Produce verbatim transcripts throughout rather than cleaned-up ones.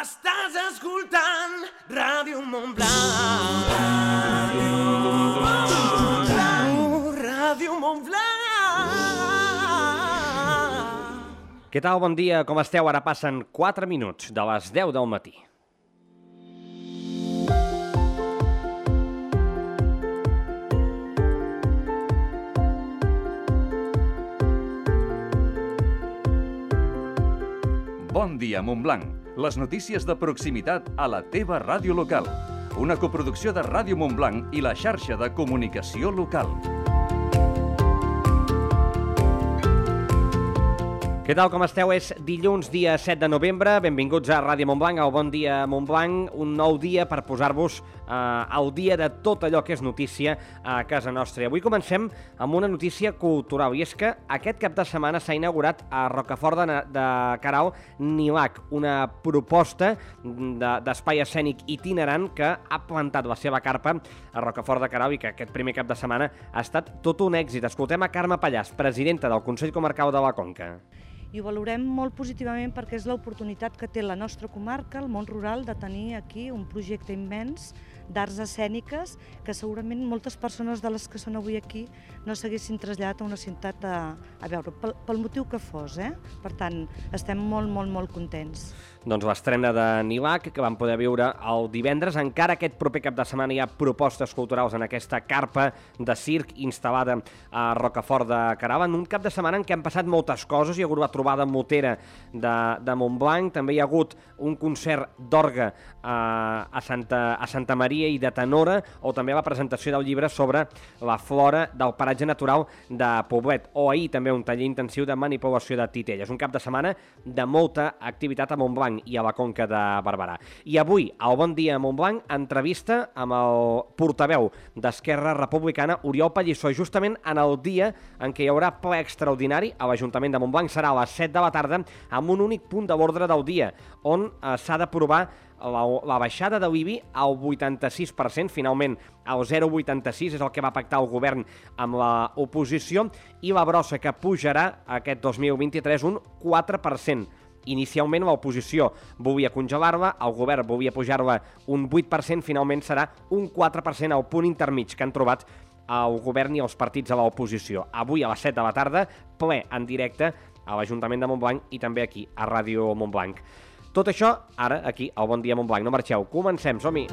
Estàs escoltant Ràdio Montblanc. Ràdio Montblanc. Ràdio Montblanc. Què tal? Bon dia, com esteu? Ara passen quatre minuts de les deu del matí. Bon dia, Montblanc. Les notícies de proximitat a la teva ràdio local. Una coproducció de Ràdio Montblanc i la xarxa de comunicació local. Què tal, com esteu? És dilluns, dia set de novembre. Benvinguts a Ràdio Montblanc, al Bon Dia Montblanc. Un nou dia per posar-vos eh, al dia de tot allò que és notícia a casa nostra. Avui comencem amb una notícia cultural, i és que aquest cap de setmana s'ha inaugurat a Rocafort de, de Queralt Nilac, una proposta d'espai de, escènic itinerant que ha plantat la seva carpa a Rocafort de Queralt i que aquest primer cap de setmana ha estat tot un èxit. Escoltem a Carme Pallàs, presidenta del Consell Comarcal de la Conca. I ho valorem molt positivament perquè és l'oportunitat que té la nostra comarca, el món rural, de tenir aquí un projecte immens d'arts escèniques que segurament moltes persones de les que són avui aquí no s'haguessin traslladat a una ciutat a, a veure, pel, pel motiu que fos, eh? Per tant, estem molt, molt, molt contents. Doncs l'estrena de Nilac, que vam poder viure el divendres. Encara aquest proper cap de setmana hi ha propostes culturals en aquesta carpa de circ instal·lada a Rocafort de Queralt. En un cap de setmana en què han passat moltes coses. Hi ha hagut la trobada motera de, de Montblanc, també hi ha hagut un concert d'orgue a, a, Santa, a Santa Maria i de tenora, o també la presentació del llibre sobre la flora del paratge natural de Poblet, o ahir també un taller intensiu de manipulació de titelles. Un cap de setmana de molta activitat a Montblanc i a la Conca de Barberà. I avui, al Bon Dia Montblanc, entrevista amb el portaveu d'Esquerra Republicana, Oriol Pallissó, justament en el dia en què hi haurà ple extraordinari a l'Ajuntament de Montblanc. Serà a les set de la tarda, amb un únic punt de l'ordre del dia, on eh, s'ha d'aprovar La, la baixada de l'I B I al vuitanta-sis per cent, finalment el zero coma vuitanta-sis és el que va pactar el govern amb l'oposició, i la brossa que pujarà aquest dos mil vint-i-tres un quatre per cent. Inicialment l'oposició volia congelar-la, el govern volia pujar-la un vuit per cent, finalment serà un quatre per cent, el punt intermig que han trobat el govern i els partits a l'oposició. Avui a les set de la tarda, ple en directe a l'Ajuntament de Montblanc i també aquí a Ràdio Montblanc. Tot això, ara, aquí, al Bon Dia Montblanc. No marxeu, comencem, som-hi!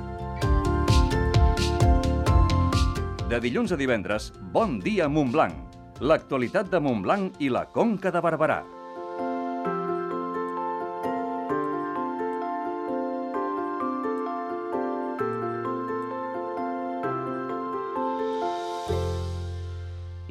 De dilluns a divendres, Bon Dia Montblanc. L'actualitat de Montblanc i la Conca de Barberà.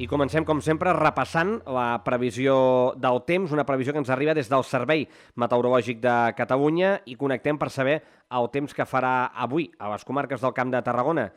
I comencem, com sempre, repassant la previsió del temps, una previsió que ens arriba des del Servei Meteorològic de Catalunya, i connectem per saber el temps que farà avui a les comarques del Camp de Tarragona.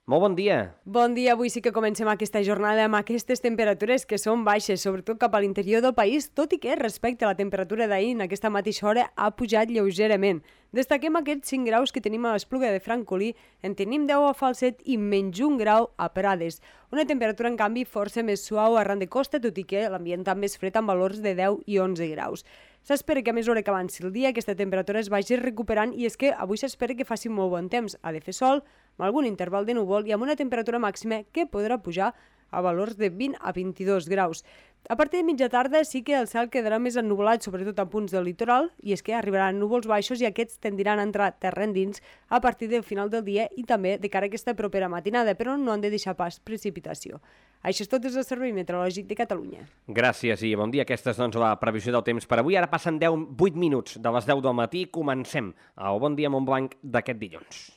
Molt bon dia. Bon dia. Avui sí que comencem aquesta jornada amb aquestes temperatures que són baixes, sobretot cap a l'interior del país, tot i que respecte a la temperatura d'ahir en aquesta mateixa hora ha pujat lleugerament. Destaquem aquests cinc graus que tenim a l'Espluga de Francolí, en tenim deu a Falset i menys un grau a Prades. Una temperatura, en canvi, força més suau arran de costa, tot i que l'ambient també és fred amb valors de deu i onze graus. S'espera que a mesura que avanci el dia aquesta temperatura es vagi recuperant, i és que avui s'espera que faci molt bon temps. Ha de fer sol, amb algun interval de núvol i amb una temperatura màxima que podrà pujar a valors de vint a vint-i-dos graus. A partir de mitja tarda sí que el cel quedarà més ennuvolat, sobretot a punts del litoral, i és que arribaran núvols baixos i aquests tendiran a entrar terra endins a partir del final del dia i també de cara a aquesta propera matinada, però no han de deixar pas precipitació. Això és tot des del Servei Meteorològic de Catalunya. Gràcies i bon dia. Aquesta és doncs, la previsió del temps per avui. Ara passen deu, vuit minuts de les deu del matí. Comencem el Bon Dia Montblanc d'aquest dilluns.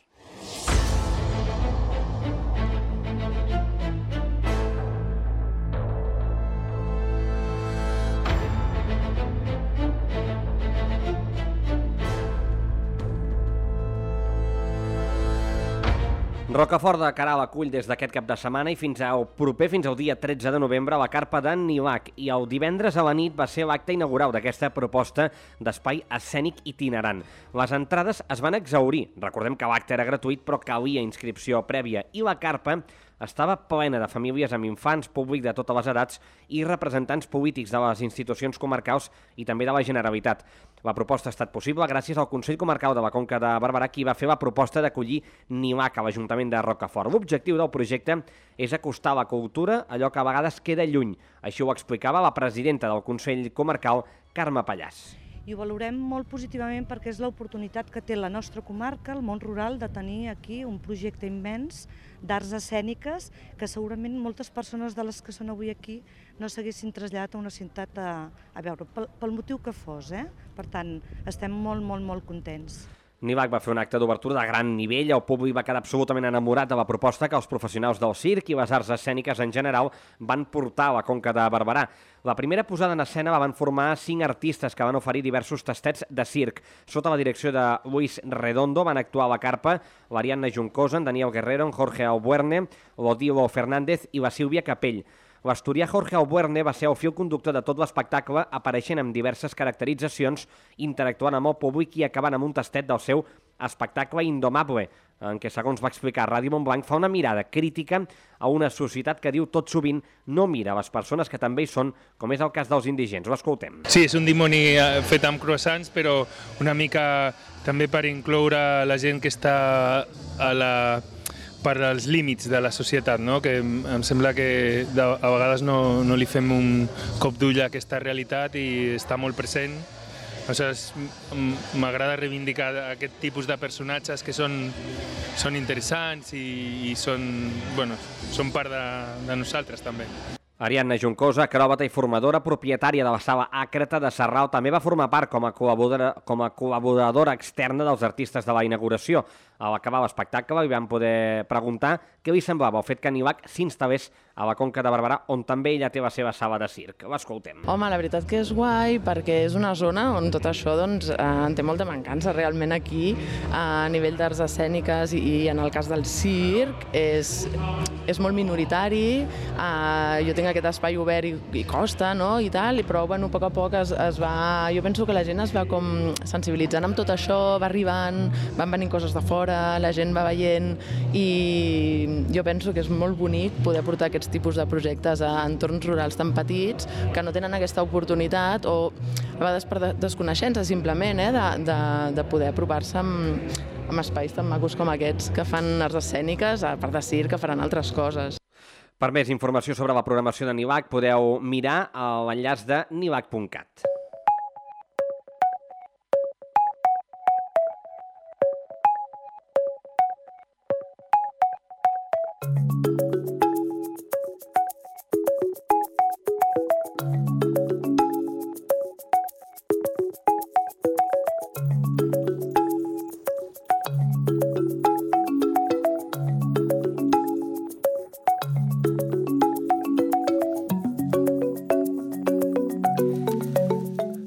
Rocafort de Queralt acull des d'aquest cap de setmana i fins al proper, fins al dia tretze de novembre, la carpa de Nilac, i el divendres a la nit va ser l'acte inaugural d'aquesta proposta d'espai escènic itinerant. Les entrades es van exhaurir. Recordem que l'acte era gratuït, però calia inscripció prèvia, i la carpa estava plena de famílies amb infants, públic de totes les edats i representants polítics de les institucions comarcals i també de la Generalitat. La proposta ha estat possible gràcies al Consell Comarcal de la Conca de Barberà, qui va fer la proposta d'acollir Nilac a l'Ajuntament de Rocafort. L'objectiu del projecte és acostar la cultura a allò que a vegades queda lluny. Així ho explicava la presidenta del Consell Comarcal, Carme Pallàs. I ho valorem molt positivament perquè és l'oportunitat que té la nostra comarca, el món rural, de tenir aquí un projecte immens d'arts escèniques que segurament moltes persones de les que són avui aquí no s'haguessin traslladat a una ciutat a, a veure, pel, pel motiu que fos. Eh? Per tant, estem molt, molt, molt contents. Nilac va fer un acte d'obertura de gran nivell, el públic va quedar absolutament enamorat de la proposta que els professionals del circ i les arts escèniques en general van portar a la Conca de Barberà. La primera posada en escena la van formar cinc artistes que van oferir diversos tastets de circ. Sota la direcció de Luis Redondo van actuar a la carpa l'Ariadna Juncosa, en Daniel Guerrero, en Jorge Albuerne, l'Odilo Fernández i la Sílvia Capell. L'asturià Jorge Albuerne va ser el fil conductor de tot l'espectacle, apareixent amb diverses caracteritzacions, interactuant amb el públic i acabant amb un tastet del seu espectacle Indomable, en què, segons va explicar Ràdio Montblanc, fa una mirada crítica a una societat que diu tot sovint no mira les persones que també hi són, com és el cas dels indigents. Ho escoltem. Sí, és un dimoni fet amb croissants, però una mica també per incloure la gent que està a la... per als límits de la societat, no? Que em sembla que de, a vegades no, no li fem un cop d'ull a aquesta realitat i està molt present. Aleshores, m'agrada reivindicar aquest tipus de personatges que són, són interessants i, i són, bueno, són part de, de nosaltres també. Ariadna Juncosa, acròbata i formadora, propietària de la sala Àcrata de Sarral, també va formar part com a col·laboradora, com a col·laboradora externa dels artistes de la inauguració. A l'acabar l'espectacle li van poder preguntar què li semblava el fet que Nilac s'instal·lés a la Conca de Barberà, on també ella té la seva sala de circ. L'escoltem. Home, la veritat que és guai perquè és una zona on tot això doncs, eh, en té molta mancança. Realment aquí, a nivell d'arts escèniques i, i en el cas del circ, és, és molt minoritari. Eh, jo tinc aquest espai obert i, i costa, no?, i tal, però bueno, a poc a poc es, es va... Jo penso que la gent es va com sensibilitzant amb tot això, va arribant, van venint coses de fora, la gent va veient i jo penso que és molt bonic poder portar aquests tipus de projectes a entorns rurals tan petits que no tenen aquesta oportunitat o a vegades per desconeixença simplement eh, de, de, de poder apropar-se amb, amb espais tan macos com aquests que fan arts escèniques, a part de circ, que faran altres coses. Per més informació sobre la programació de Nilac podeu mirar l'enllaç de nilac punt cat.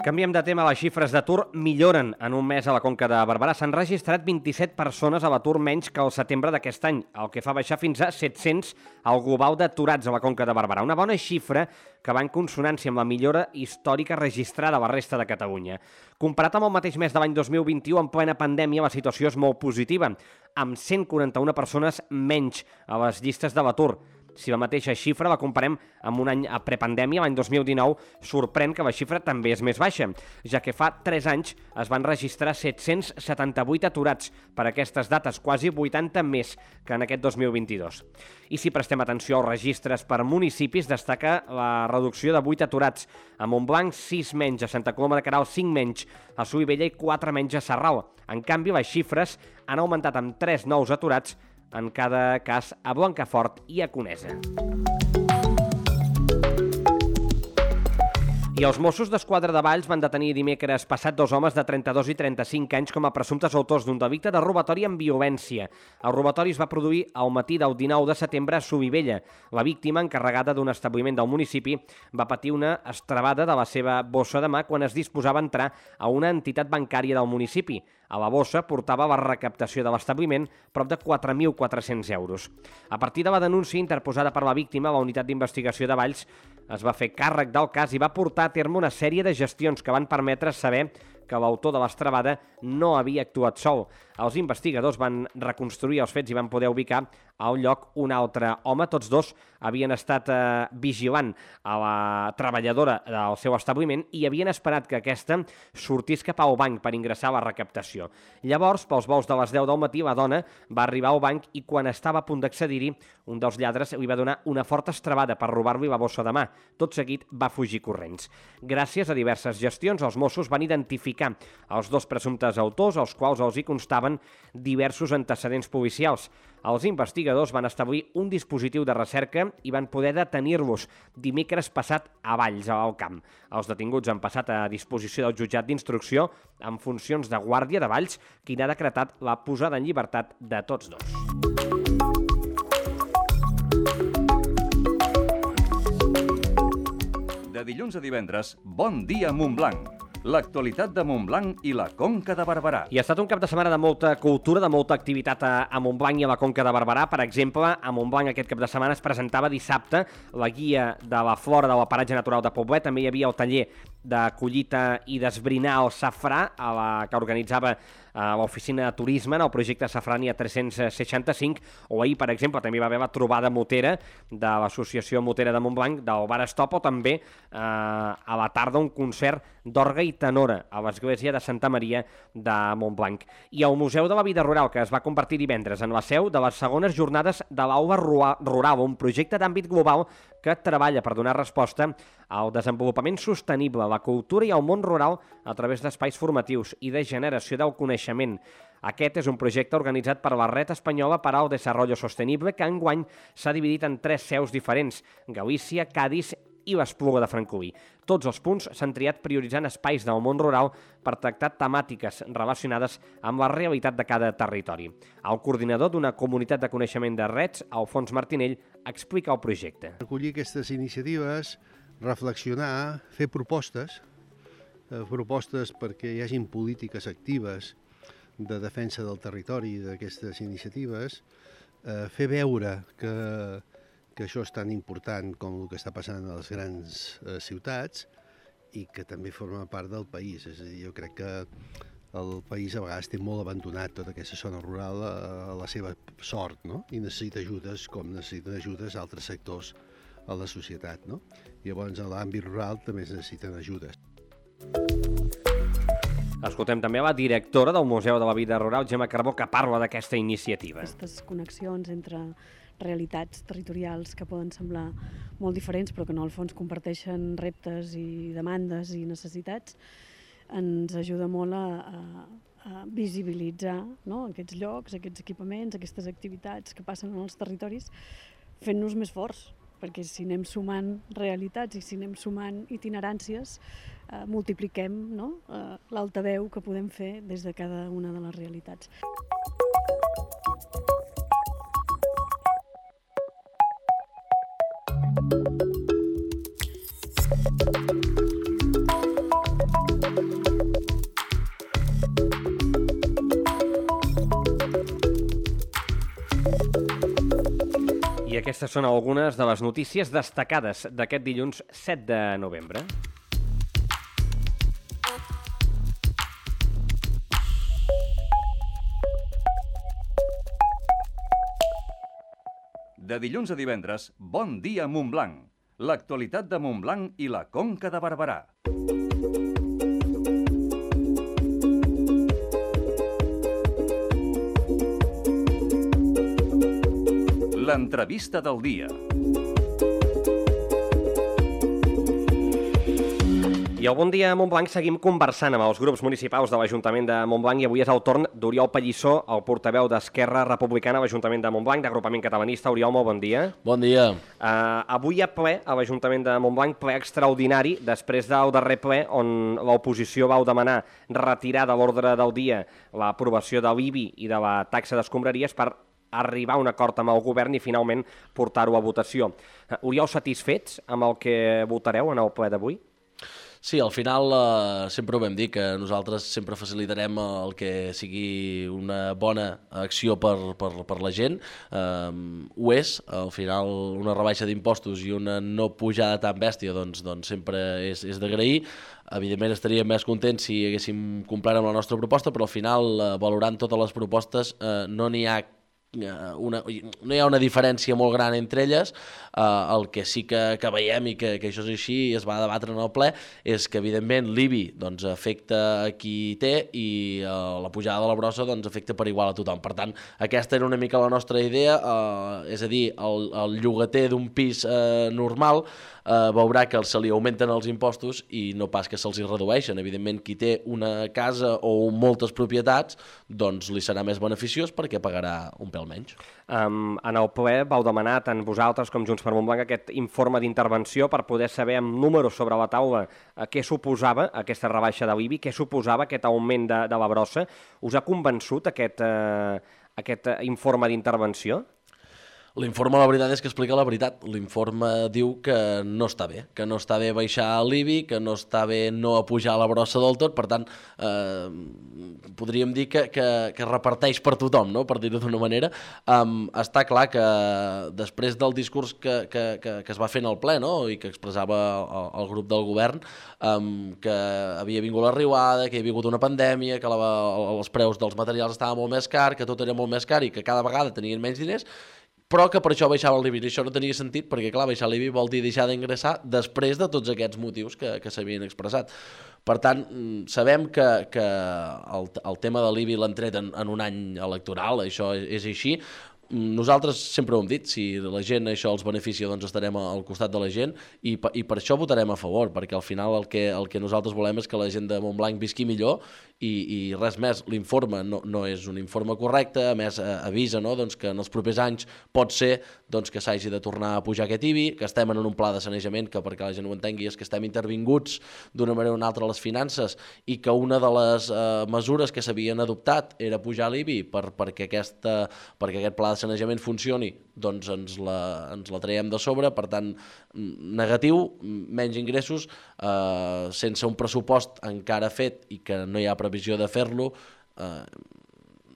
Canviem de tema, les xifres d'atur milloren en un mes a la Conca de Barberà. S'han registrat vint-i-set persones a l'atur menys que el setembre d'aquest any, el que fa baixar fins a set-cents el global d'aturats a la Conca de Barberà. Una bona xifra que va en consonància amb la millora històrica registrada a la resta de Catalunya. Comparat amb el mateix mes de l'any dos mil vint-i-u, en plena pandèmia, la situació és molt positiva, amb cent quaranta-una persones menys a les llistes de l'atur. Si la mateixa xifra la comparem amb un any a prepandèmia, l'any dos mil dinou, sorprèn que la xifra també és més baixa, ja que fa tres anys es van registrar set-cents setanta-vuit aturats per aquestes dates, quasi vuitanta més que en aquest dos mil vint-i-dos. I si prestem atenció als registres per municipis, destaca la reducció de vuit aturats. A Montblanc, sis menys, a Santa Coloma de Queralt, cinc menys, a Solivella i quatre menys a Sarral. En canvi, les xifres han augmentat amb tres nous aturats, en cada cas a Blancafort i a Conesa. I els Mossos d'Esquadra de Valls van detenir dimecres passat dos homes de trenta-dos i trenta-cinc anys com a presumptes autors d'un delicte de robatori amb violència. El robatori es va produir al matí del dinou de setembre a Solivella. La víctima, encarregada d'un establiment del municipi, va patir una estrebada de la seva bossa de mà quan es disposava a entrar a una entitat bancària del municipi. A la bossa portava la recaptació de l'establiment prop de quatre mil quatre-cents euros. A partir de la denúncia interposada per la víctima, la unitat d'investigació de Valls es va fer càrrec del cas i va portar a terme una sèrie de gestions que van permetre saber que l'autor de l'estrebada no havia actuat sol. Els investigadors van reconstruir els fets i van poder ubicar al lloc un altre home. Tots dos havien estat eh, vigilant a la treballadora del seu establiment i havien esperat que aquesta sortís cap al banc per ingressar a la recaptació. Llavors, pels vols de les deu del matí, la dona va arribar al banc i quan estava a punt d'accedir-hi, un dels lladres li va donar una forta estrebada per robar-li la bossa de mà. Tot seguit va fugir corrents. Gràcies a diverses gestions, els Mossos van identificar els dos presumptes autors, als quals els hi constaven diversos antecedents policials. Els investigadors van establir un dispositiu de recerca i van poder detenir-los dimecres passat a Valls, a l'Alt Camp. Els detinguts han passat a disposició del jutjat d'instrucció en funcions de guàrdia de Valls, qui n'ha decretat la posada en llibertat de tots dos. De dilluns a divendres, Bon dia Montblanc. L'actualitat de Montblanc i la Conca de Barberà. I ha estat un cap de setmana de molta cultura, de molta activitat a, a Montblanc i a la Conca de Barberà. Per exemple, a Montblanc aquest cap de setmana es presentava dissabte la guia de la flora de la paratge natural de Poblet. També hi havia el taller de collita i d'esbrinar el safrà, a la que organitzava a l'oficina de turisme en el projecte Safrània tres-cents seixanta-cinc, o ahir, per exemple, també va haver la trobada motera de l'Associació Motera de Montblanc, del Bar Stop, o també eh, a la tarda un concert d'orga i tenora a l'església de Santa Maria de Montblanc. I al Museu de la Vida Rural, que es va convertir divendres en la seu de les segones jornades de l'Aula Rural, un projecte d'àmbit global que treballa per donar resposta al desenvolupament sostenible, la cultura i el món rural a través d'espais formatius i de generació del coneixement. Aquest és un projecte organitzat per la Red Espanyola per al Desarrollo Sostenible, que enguany s'ha dividit en tres seus diferents: Galícia, Cádiz i l'Espluga de Francolí. Tots els punts s'han triat prioritzant espais del món rural per tractar temàtiques relacionades amb la realitat de cada territori. El coordinador d'una comunitat de coneixement de Reds, Alfons Martinell, explica el projecte. Recollir aquestes iniciatives, reflexionar, fer propostes, eh, propostes perquè hi hagin polítiques actives de defensa del territori d'aquestes iniciatives, eh, fer veure que que això és tan important com el que està passant a les grans eh, ciutats i que també forma part del país. És a dir, jo crec que el país a vegades té molt abandonat tota aquesta zona rural a, a la seva sort, no? I necessita ajudes com necessiten ajudes altres sectors a la societat, no? I llavors a l'àmbit rural també es necessiten ajudes. Escoltem també la directora del Museu de la Vida Rural, Gemma Carbó, que parla d'aquesta iniciativa. Aquestes connexions entre realitats territorials que poden semblar molt diferents però que en el fons comparteixen reptes i demandes i necessitats, ens ajuda molt a, a, a visibilitzar, no?, aquests llocs, aquests equipaments, aquestes activitats que passen en els territoris, fent-nos més forts, perquè si anem sumant realitats i si anem sumant itineràncies, eh, multipliquem, no?, eh, l'altaveu que podem fer des de cada una de les realitats. I aquestes són algunes de les notícies destacades d'aquest dilluns set de novembre. De dilluns a divendres, Bon dia Montblanc. L'actualitat de Montblanc i la Conca de Barberà. L'entrevista del dia. I al Bon dia Montblanc seguim conversant amb els grups municipals de l'Ajuntament de Montblanc i avui és el torn d'Oriol Pallissó, el portaveu d'Esquerra Republicana a l'Ajuntament de Montblanc, d'agrupament catalanista. Oriol, molt bon dia. Bon dia. Uh, avui hi ha ple a l'Ajuntament de Montblanc, ple extraordinari, després del darrer ple on l'oposició vau demanar retirar de l'ordre del dia l'aprovació de l'I B I i de la taxa d'escombraries per arribar a un acord amb el govern i finalment portar-ho a votació. Uh, Oriol, satisfets amb el que votareu en el ple d'avui? Sí, al final eh, sempre ho vam dir, que nosaltres sempre facilitarem el que sigui una bona acció per, per, per la gent. Eh, ho és, al final una rebaixa d'impostos i una no pujada tan bèstia doncs, doncs sempre és, és d'agrair. Evidentment estaríem més contents si haguéssim complert amb la nostra proposta, però al final, eh, valorant totes les propostes, eh, no n'hi ha una, no hi ha una diferència molt gran entre elles. Uh, el que sí que, que veiem i que, que això és així i es va debatre en el ple és que evidentment l'I B I doncs, afecta a qui té i uh, la pujada de la brossa doncs, afecta per igual a tothom. Per tant, aquesta era una mica la nostra idea, uh, és a dir, el, el llogater d'un pis uh, normal uh, veurà que se li augmenten els impostos i no pas que se'ls hi redueixen. Evidentment, qui té una casa o moltes propietats doncs li serà més beneficiós perquè pagarà un pèl menys. Um, en el ple vau demanar tant vosaltres com Junts per Montblanc aquest informe d'intervenció per poder saber amb números sobre la taula eh, què suposava aquesta rebaixa de l'I B I, què suposava aquest augment de, de la brossa. Us ha convençut aquest, eh, aquest informe d'intervenció? L'informe, la veritat és que explica la veritat. L'informe diu que no està bé, que no està bé baixar l'I B I, que no està bé no apujar la brossa del tot, per tant, eh, podríem dir que, que, que reparteix per tothom, no? Per dir-ho d'una manera. Um, està clar que després del discurs que, que, que, que es va fer en el ple, no? I que expressava el, el grup del govern, um, que havia vingut la riuada, que hi havia hagut una pandèmia, que la, els preus dels materials estaven molt més car, que tot era molt més car i que cada vegada tenien menys diners, però que per això baixava l'I B I. I això no tenia sentit perquè, clar, baixar l'I B I vol dir deixar d'ingressar després de tots aquests motius que, que s'havien expressat. Per tant, sabem que, que el, el tema de l'I B I l'han tret en, en un any electoral, això és, és així. Nosaltres sempre ho hem dit, si la gent això els beneficia, doncs estarem al costat de la gent i, i per això votarem a favor, perquè al final el que, el que nosaltres volem és que la gent de Montblanc visqui millor i, i res més. L'informe no, no és un informe correcte, a més avisa, no? Doncs que en els propers anys pot ser doncs, que s'hagi de tornar a pujar aquest I B I, que estem en un pla de sanejament que, perquè la gent ho entengui, és que estem intervinguts d'una manera o una altra a les finances i que una de les eh, mesures que s'havien adoptat era pujar l'I B I per, perquè, aquesta, perquè aquest pla de sanejament funcioni, doncs ens la, ens la traiem de sobre, per tant, negatiu, menys ingressos, eh, sense un pressupost encara fet i que no hi ha previsió de fer-lo, eh,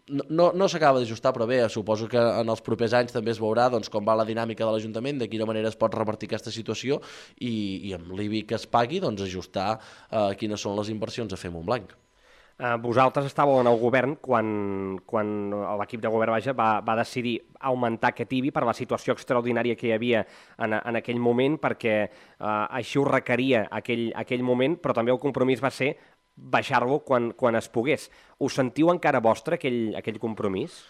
no, no, no s'acaba d'ajustar, però bé, suposo que en els propers anys també es veurà doncs, com va la dinàmica de l'Ajuntament, de quina manera es pot revertir aquesta situació i, i amb l'I B I que es pagui, doncs ajustar eh, quines són les inversions a fer Montblanc. Uh, vosaltres estàveu en el govern quan, quan l'equip de govern vaja, va, va decidir augmentar aquest I B I per la situació extraordinària que hi havia en, en aquell moment, perquè uh, així ho requeria aquell, aquell moment, però també el compromís va ser baixar-lo quan, quan es pogués. Us sentiu encara vostre aquell, aquell compromís?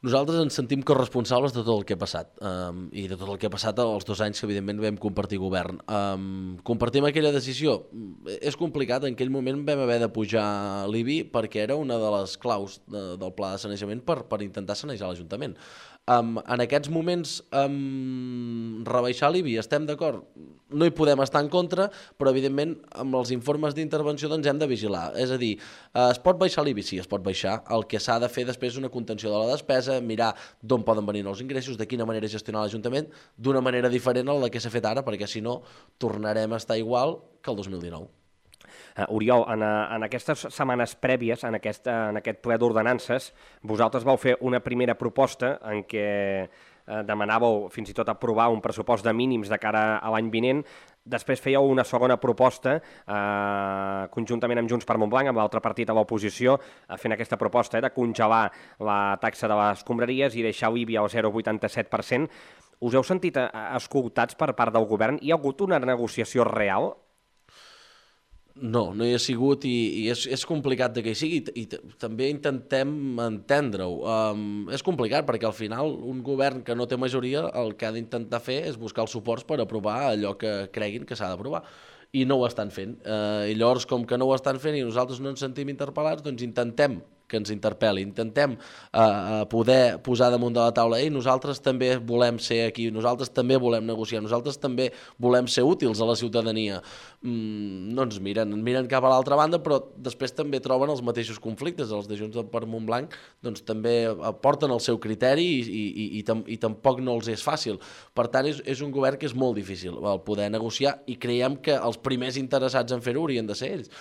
Nosaltres ens sentim corresponsables de tot el que ha passat um, i de tot el que ha passat els dos anys que evidentment vam compartir govern. Um, compartim aquella decisió. És complicat, en aquell moment vam haver de pujar l'I B I perquè era una de les claus de, del pla de sanejament per, per intentar sanejar l'Ajuntament. Um, en aquests moments, um, rebaixar l'I B I, estem d'acord? No hi podem estar en contra, però evidentment amb els informes d'intervenció doncs hem de vigilar. És a dir, uh, es pot baixar l'I B I? Sí, es pot baixar. El que s'ha de fer després és una contenció de la despesa, mirar d'on poden venir els ingressos, de quina manera gestionar l'Ajuntament, d'una manera diferent a la que s'ha fet ara, perquè si no tornarem a estar igual que el dos mil dinou. Uh, Oriol, en, en aquestes setmanes prèvies, en aquest, en aquest ple d'ordenances, vosaltres vau fer una primera proposta en què uh, demanàveu fins i tot aprovar un pressupost de mínims de cara a l'any vinent. Després fèieu una segona proposta, eh, conjuntament amb Junts per Montblanc, amb l'altre partit a l'oposició, eh, fent aquesta proposta eh, de congelar la taxa de les escombraries i deixar l'I B I al zero coma vuitanta-set per cent. Us heu sentit escoltats per part del govern? Hi ha hagut una negociació real? No, no hi ha sigut i, i és, és complicat de que hi sigui i, i també intentem entendre-ho. Um, és complicat perquè al final un govern que no té majoria el que ha d'intentar fer és buscar els suports per aprovar allò que creguin que s'ha d'aprovar i no ho estan fent. Uh, I llavors, com que no ho estan fent i nosaltres no ens sentim interpel·lats, doncs intentem que ens interpel·li, intentem uh, poder posar damunt de la taula i nosaltres també volem ser aquí, nosaltres també volem negociar, nosaltres també volem ser útils a la ciutadania. Mm, no ens miren, miren cap a l'altra banda, però després també troben els mateixos conflictes. Els de Junts per Montblanc doncs, també aporten el seu criteri i, i, i, i, tam i tampoc no els és fàcil. Per tant, és, és un govern que és molt difícil el poder negociar i creiem que els primers interessats en fer-ho haurien de ser ells.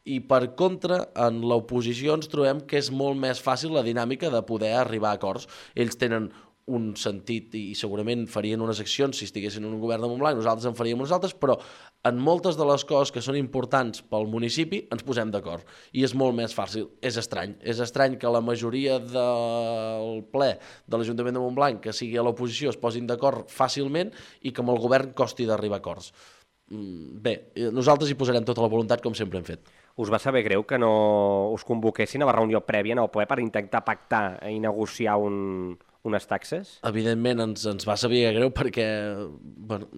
I per contra, en l'oposició ens trobem que és molt més fàcil la dinàmica de poder arribar a acords. Ells tenen un sentit i segurament farien unes accions si estiguessin en un govern de Montblanc, nosaltres en faríem unes altres, però en moltes de les coses que són importants pel municipi ens posem d'acord i és molt més fàcil. És estrany, és estrany que la majoria del ple de l'Ajuntament de Montblanc que sigui a l'oposició es posin d'acord fàcilment i que amb el govern costi d'arribar a acords. Bé, nosaltres hi posarem tota la voluntat com sempre hem fet. Us va saber greu que no us convoquessin a la reunió prèvia en el ple per intentar pactar i negociar un, unes taxes? Evidentment ens, ens va saber greu perquè bueno,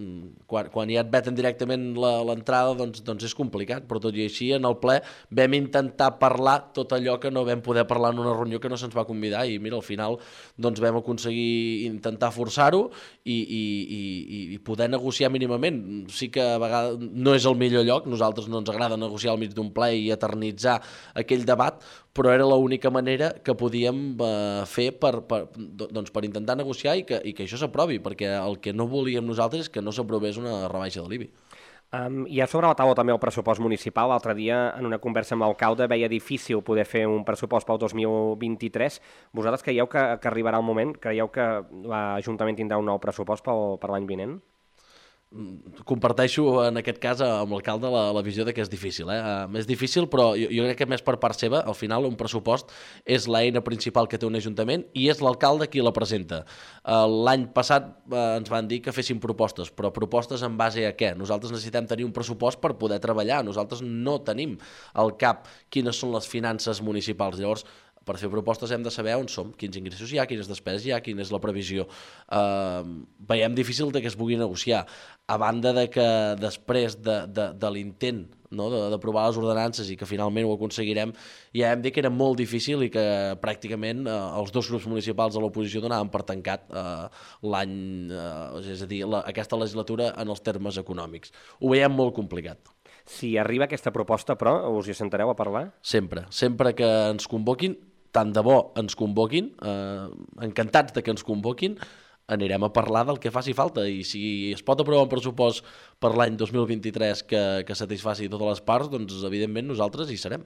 quan, quan ja et veten directament l'entrada doncs, doncs és complicat, però tot i així en el ple vam intentar parlar tot allò que no vam poder parlar en una reunió que no se'ns va convidar i mira, al final doncs vam aconseguir intentar forçar-ho i, i, i, i poder negociar mínimament. Sí que a vegades no és el millor lloc, nosaltres no ens agrada negociar al mig d'un ple i eternitzar aquell debat, però era l'única manera que podíem eh, fer per, per, doncs per intentar negociar i que, i que això s'aprovi, perquè el que no volíem nosaltres és que no s'aprovés una rebaixa de l'I B I. Um, hi ha sobre la taula també el pressupost municipal. L'altre dia, en una conversa amb l'alcalde, veia difícil poder fer un pressupost pel dos mil vint-i-tres. Vosaltres creieu que, que arribarà el moment? Creieu que l'Ajuntament tindrà un nou pressupost pel, per l'any vinent? Comparteixo en aquest cas amb l'alcalde la, la visió de que és difícil. Eh? Uh, és difícil, però jo, jo crec que més per part seva, al final un pressupost és l'eina principal que té un ajuntament i és l'alcalde qui la presenta. Uh, L'any passat uh, ens van dir que féssim propostes, però propostes en base a què? Nosaltres necessitem tenir un pressupost per poder treballar. Nosaltres no tenim al cap quines són les finances municipals. Llavors, per fer propostes hem de saber on som, quins ingressos hi ha, quines despeses hi ha, quina és la previsió. Uh, veiem difícil de que es pugui negociar, a banda de que després de, de, de l'intent no, d'aprovar les ordenances i que finalment ho aconseguirem, ja hem dit que era molt difícil i que pràcticament uh, els dos grups municipals de l'oposició donaven per tancat uh, l'any, uh, és a dir, la, aquesta legislatura en els termes econòmics. Ho veiem molt complicat. Si arriba aquesta proposta, però, us hi sentareu a parlar? Sempre, sempre que ens convoquin, tant de bo ens convoquin, eh, encantats de que ens convoquin, anirem a parlar del que faci falta i si es pot aprovar un pressupost per l'any dos mil vint-i-tres que, que satisfaci totes les parts, doncs evidentment nosaltres hi serem.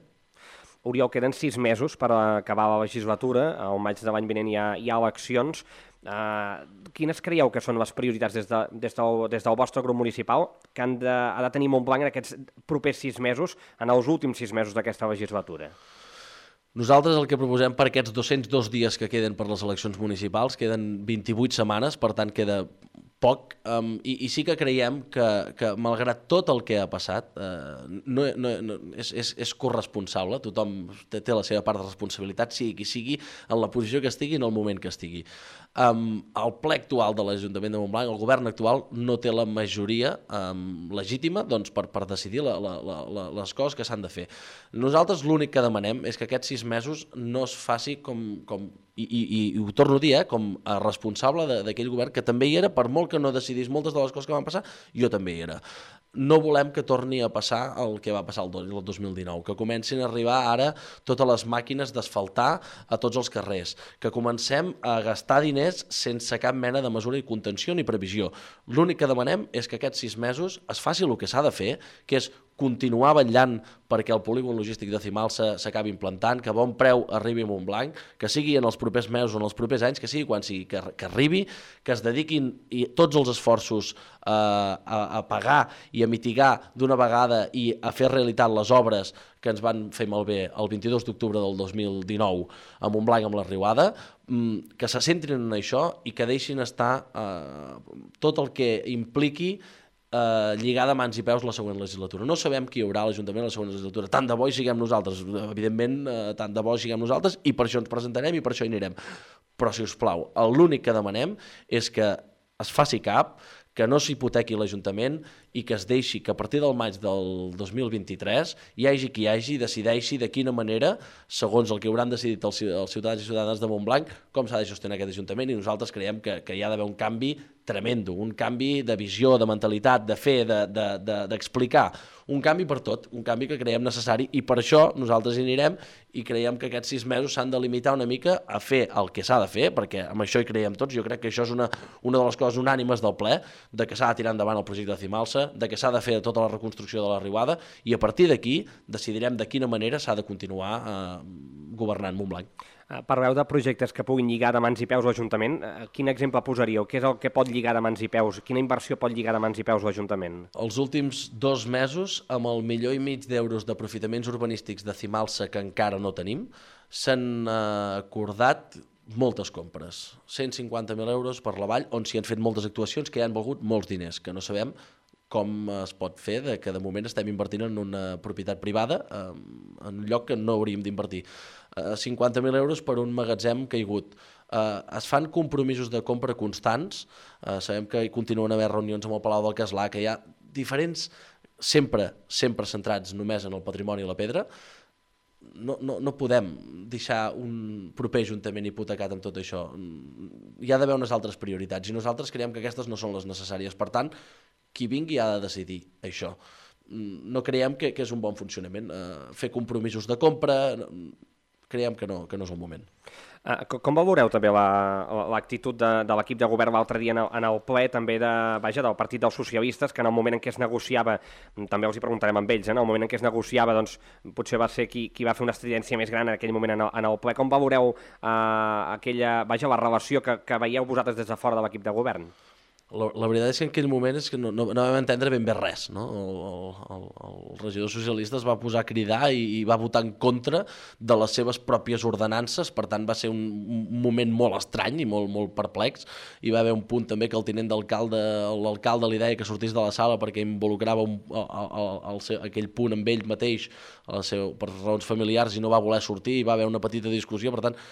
Oriol, queden sis mesos per acabar la legislatura, al maig de l'any vinent hi ha, hi ha eleccions. Uh, quines creieu que són les prioritats des, de, des, del, des del vostre grup municipal que han de, ha de tenir Montblanc en aquests propers sis mesos, en els últims sis mesos d'aquesta legislatura? Nosaltres el que proposem per aquests dos-cents dos dies que queden per les eleccions municipals, queden vint-i-vuit setmanes, per tant queda poc, um, i, i sí que creiem que, que malgrat tot el que ha passat, uh, no, no, no, és, és, és corresponsable, tothom té, té la seva part de responsabilitat, sigui qui sigui, en la posició que estigui, en el moment que estigui. Um, el ple actual de l'Ajuntament de Montblanc, el govern actual, no té la majoria um, legítima doncs, per, per decidir la, la, la, les coses que s'han de fer. Nosaltres l'únic que demanem és que aquests sis mesos no es faci com... com I, i, i ho torno a dir, eh, com a responsable d'aquell govern que també hi era, per molt que no decidís moltes de les coses que van passar, jo també hi era. No volem que torni a passar el que va passar el dos mil dinou, que comencin a arribar ara totes les màquines d'asfaltar a tots els carrers, que comencem a gastar diners sense cap mena de mesura i contenció ni previsió. L'únic que demanem és que aquests sis mesos es faci el que s'ha de fer, que és continuar vetllant perquè el polígon logístic de Cimalsa s'acabi implantant, que a bon preu arribi a Montblanc, que sigui en els propers mesos o en els propers anys, que sigui quan sigui que, que arribi, que es dediquin i tots els esforços eh, a, a pagar i a mitigar d'una vegada i a fer realitat les obres que ens van fer malbé el vint-i-dos d'octubre del dos mil dinou a Montblanc amb la Riuada, que se centrin en això i que deixin estar eh, tot el que impliqui Eh, lligada mans i peus la següent legislatura. No sabem qui hi haurà a l'Ajuntament a la següent legislatura. Tant de bo hi siguem nosaltres, evidentment, eh, tant de bo hi siguem nosaltres i per això ens presentarem i per això hi anirem. Però, si us plau, l'únic que demanem és que es faci cap, que no s'hipotequi l'Ajuntament i que es deixi que a partir del maig del dos mil vint-i-tres hi hagi qui hi hagi, decideixi de quina manera, segons el que hauran decidit els ciutadans i ciutadanes de Montblanc, com s'ha de gestionar aquest Ajuntament, i nosaltres creiem que, que hi ha d'haver un canvi tremendo, un canvi de visió, de mentalitat, de fer, d'explicar, de, de, de, un canvi per tot, un canvi que creiem necessari i per això nosaltres hi anirem i creiem que aquests sis mesos s'han de limitar una mica a fer el que s'ha de fer, perquè amb això hi creiem tots, jo crec que això és una, una de les coses unànimes del ple, de que s'ha de tirar endavant el projecte de Cimalsa, de que s'ha de fer tota la reconstrucció de la Riuada i a partir d'aquí decidirem de quina manera s'ha de continuar eh, governant Montblanc. Parleu de projectes que puguin lligar de mans i peus l'Ajuntament. Quin exemple posaríeu? Què és el que pot lligar de mans i peus? Quina inversió pot lligar de mans i peus l'Ajuntament? Els últims dos mesos, amb el milió i mig d'euros d'aprofitaments urbanístics de Cimalsa que encara no tenim, s'han acordat moltes compres. cent cinquanta mil euros per la vall, on s'hi han fet moltes actuacions que hi han valgut molts diners, que no sabem com es pot fer, de que de moment estem invertint en una propietat privada en un lloc que no hauríem d'invertir. cinquanta mil euros per un magatzem caigut. Es fan compromisos de compra constants, sabem que hi continuen a haver reunions amb el Palau del Castlà, que hi ha diferents, sempre, sempre centrats només en el patrimoni i la pedra. No, no, no podem deixar un proper ajuntament hipotecat amb tot això. Hi ha d'haver unes altres prioritats i nosaltres creiem que aquestes no són les necessàries. Per tant, qui vingui ha de decidir això. No creiem que, que és un bon funcionament. Uh, fer compromisos de compra, creiem que no, que no és el moment. Uh, com valoreu també l'actitud la, de, de l'equip de govern l'altre dia en el, en el ple també de, vaja, del Partit dels Socialistes, que en el moment en què es negociava, també els hi preguntarem amb ells, eh, en el moment en què es negociava doncs, potser va ser qui, qui va fer una estridència més gran en aquell moment en el, en el ple. Com valoreu uh, aquella, vaja, la relació que, que veieu vosaltres des de fora de l'equip de govern? La, la veritat és que en aquell moment és que no, no, no vam entendre ben bé res, no? El, el, el regidor socialista es va posar a cridar i, i va votar en contra de les seves pròpies ordenances, per tant va ser un, un moment molt estrany i molt, molt perplex. Hi va haver un punt també que el tinent d'alcalde, l'alcalde li deia que sortís de la sala perquè involucrava un, el, el, el seu, aquell punt amb ell mateix el seu, per raons familiars i no va voler sortir, hi va haver una petita discussió, per tant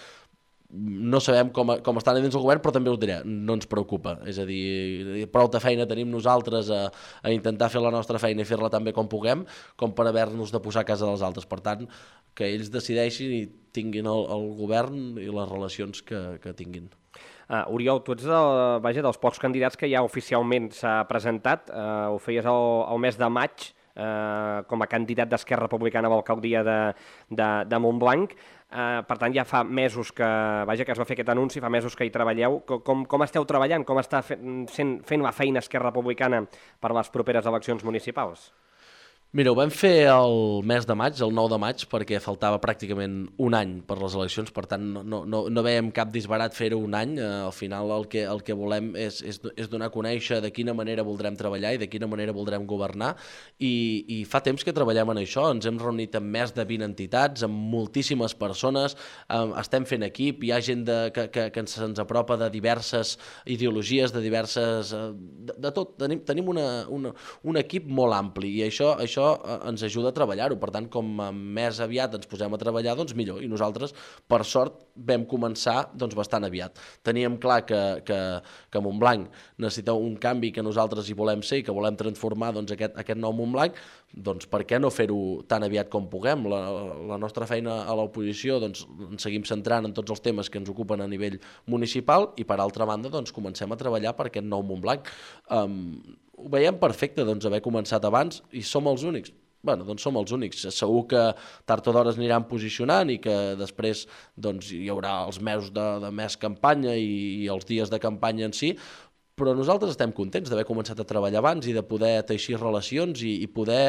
no sabem com, com estan dins el govern, però també us diré, no ens preocupa. És a dir, prou de feina tenim nosaltres a, a intentar fer la nostra feina i fer-la tan bé com puguem, com per haver-nos de posar a casa dels altres. Per tant, que ells decideixin i tinguin el, el govern i les relacions que, que tinguin. Uh, Oriol, tu ets del, vaja, dels pocs candidats que ja oficialment s'ha presentat. Uh, ho feies el, el mes de maig uh, com a candidat d'Esquerra Republicana a l'alcaldia de, de, de Montblanc. Uh, per tant, ja fa mesos que, vaja, que es va fer aquest anunci, fa mesos que hi treballeu. Com, com esteu treballant? Com està fent, fent la feina Esquerra Republicana per les properes eleccions municipals? Mira, ho vam fer el mes de maig, el nou de maig, perquè faltava pràcticament un any per les eleccions, per tant no, no, no veiem cap disbarat fer-ho un any. Eh, al final el que, el que volem és, és, és donar a conèixer de quina manera voldrem treballar i de quina manera voldrem governar, i, i fa temps que treballem en això, ens hem reunit amb més de vint entitats, amb moltíssimes persones, eh, estem fent equip, hi ha gent de, que, que, que se'ns apropa de diverses ideologies, de diverses... Eh, de, de tot, tenim, tenim una, una, un equip molt ampli, i això, això ens ajuda a treballar-ho. Per tant, com més aviat ens posem a treballar, doncs millor. I nosaltres, per sort, vam començar doncs, bastant aviat. Teníem clar que, que, que Montblanc necessita un canvi, que nosaltres hi volem ser i que volem transformar doncs, aquest, aquest nou Montblanc. Doncs per què no fer-ho tan aviat com puguem? La, la nostra feina a l'oposició doncs, ens seguim centrant en tots els temes que ens ocupen a nivell municipal i, per altra banda, doncs, comencem a treballar per aquest nou Montblanc. Um, ho veiem perfecte, doncs, haver començat abans, i som els únics. Bueno, doncs som els únics. Segur que tard o d'hora es aniran posicionant i que després doncs, hi haurà els mesos de, de més campanya i, i els dies de campanya en si, però nosaltres estem contents d'haver començat a treballar abans i de poder teixir relacions i, i poder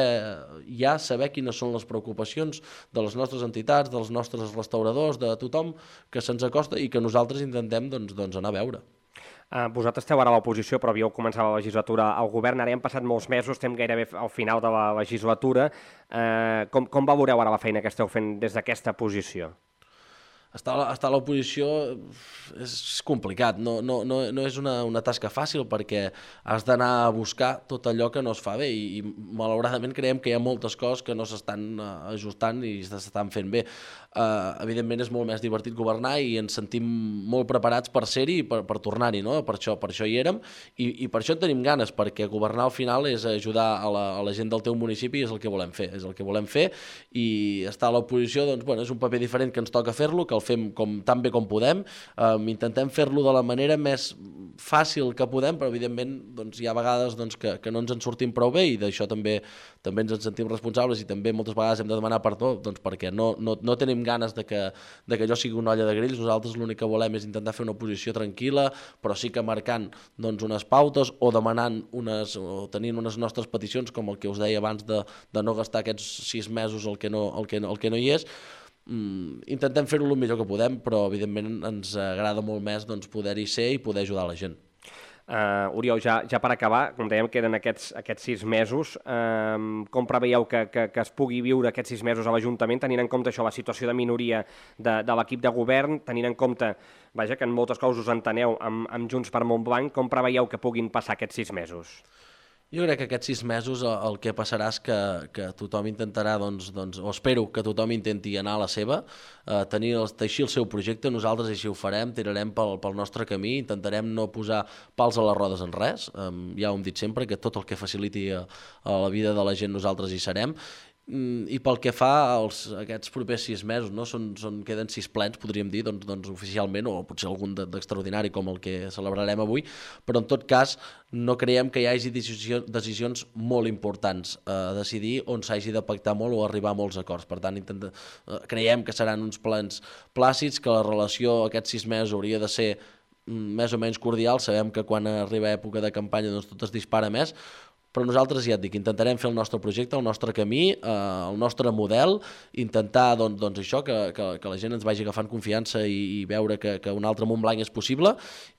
ja saber quines són les preocupacions de les nostres entitats, dels nostres restauradors, de tothom que se'ns acosta i que nosaltres intentem doncs, doncs anar a veure. Uh, vosaltres esteu ara a l'oposició, però havíeu començat la legislatura al govern, ara hem passat molts mesos, estem gairebé al final de la legislatura. Uh, com, com valoreu ara la feina que esteu fent des d'aquesta posició? Estar, estar a l'oposició és complicat, no, no, no, no és una, una tasca fàcil perquè has d'anar a buscar tot allò que no es fa bé i, i malauradament creiem que hi ha moltes coses que no s'estan ajustant i s'estan fent bé. Uh, evidentment és molt més divertit governar i ens sentim molt preparats per ser-hi i per, per tornar-hi, no? Per això, per això hi érem i, i per això en tenim ganes, perquè governar al final és ajudar a la, a la gent del teu municipi i és el que volem fer, és el que volem fer i estar a l'oposició doncs, bueno, és un paper diferent que ens toca fer-lo, que el fem com, tan bé com podem, um, intentem fer-lo de la manera més fàcil que podem, però evidentment doncs, hi ha vegades doncs, que, que no ens en sortim prou bé i d'això també, també ens en sentim responsables i també moltes vegades hem de demanar perdó doncs, perquè no, no, no tenim ganes de que, de que allò sigui una olla de grills, nosaltres l'únic que volem és intentar fer una oposició tranquil·la, però sí que marcant doncs, unes pautes o demanant unes, o tenint unes nostres peticions, com el que us deia abans de, de no gastar aquests sis mesos el que no, el que, el que no hi és, mm, intentem fer-ho el millor que podem, però evidentment ens agrada molt més doncs, poder-hi ser i poder ajudar la gent. Uh, Oriol, ja, ja per acabar, com dèiem, queden aquests, aquests sis mesos. Uh, com preveieu que, que, que es pugui viure aquests sis mesos a l'Ajuntament, tenint en compte això, la situació de minoria de, de l'equip de govern, tenint en compte, vaja, que en moltes coses us enteneu amb, amb Junts per Montblanc, com preveieu que puguin passar aquests sis mesos? Jo crec que aquests sis mesos el que passarà és que, que tothom intentarà, doncs, doncs, o espero que tothom intenti anar a la seva, eh, tenir el, teixir el seu projecte, nosaltres així ho farem, tirarem pel, pel nostre camí, intentarem no posar pals a les rodes en res, eh, ja ho hem dit sempre, que tot el que faciliti a, a la vida de la gent nosaltres hi serem, i pel que fa als aquests propers sis mesos, no? són, són, queden sis plens, podríem dir, doncs, doncs oficialment, o potser algun d'extraordinari com el que celebrarem avui, però en tot cas no creiem que hi hagi decisió, decisions molt importants a decidir on s'hagi de pactar molt o arribar a molts acords. Per tant, intenta, creiem que seran uns plens plàcids, que la relació aquests sis mesos hauria de ser més o menys cordial. Sabem que quan arriba època de campanya doncs tot es dispara més, però nosaltres, ja et dic, intentarem fer el nostre projecte, el nostre camí, eh, el nostre model, intentar doncs, doncs això, que, que, que la gent ens vagi agafant confiança i, i veure que, que un altre Montblanc és possible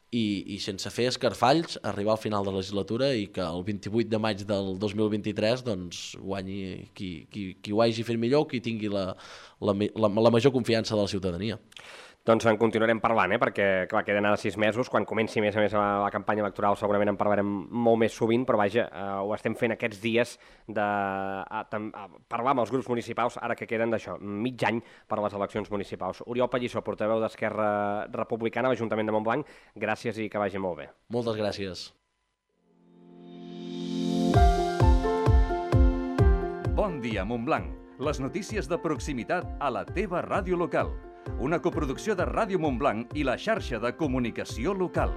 i, i sense fer escarfalls arribar al final de la legislatura i que el vint-i-vuit de maig del dos mil vint-i-tres doncs, guanyi qui, qui, qui ho hagi fet millor, qui tingui la, la, la, la major confiança de la ciutadania. Doncs en continuarem parlant, eh? Perquè clar, queden ara sis mesos, quan comenci més a més la, la campanya electoral segurament en parlarem molt més sovint, però vaja, eh, ho estem fent aquests dies de a, a parlar amb els grups municipals, ara que queden d'això, mig any per a les eleccions municipals. Oriol Pallissó, portaveu d'Esquerra Republicana a l'Ajuntament de Montblanc, gràcies i que vagi molt bé. Moltes gràcies. Bon dia, Montblanc. Les notícies de proximitat a la teva ràdio local. Una coproducció de Ràdio Montblanc i la xarxa de comunicació local.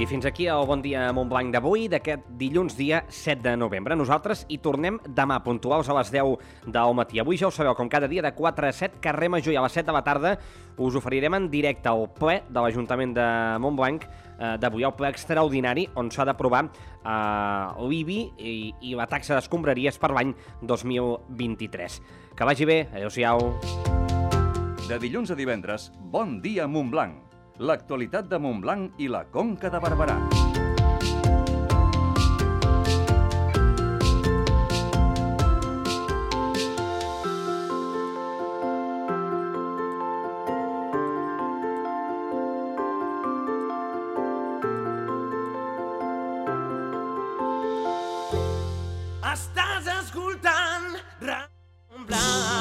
I fins aquí el Bon Dia Montblanc d'avui, d'aquest dilluns dia set de novembre. Nosaltres hi tornem demà, puntuals a les deu del matí. Avui ja ho sabeu, com cada dia de quatre a set, carrer Major, i a les set de la tarda us oferirem en directe el ple de l'Ajuntament de Montblanc eh, d'avui, el ple extraordinari on s'ha d'aprovar eh, l'I B I i, i la taxa d'escombraries per l'any dos mil vint-i-tres. Que vagi bé, adéu-siau. De dilluns a divendres, Bon Dia Montblanc. L'actualitat de Montblanc i la Conca de Barberà. Estàs escoltant Ràdio Montblanc.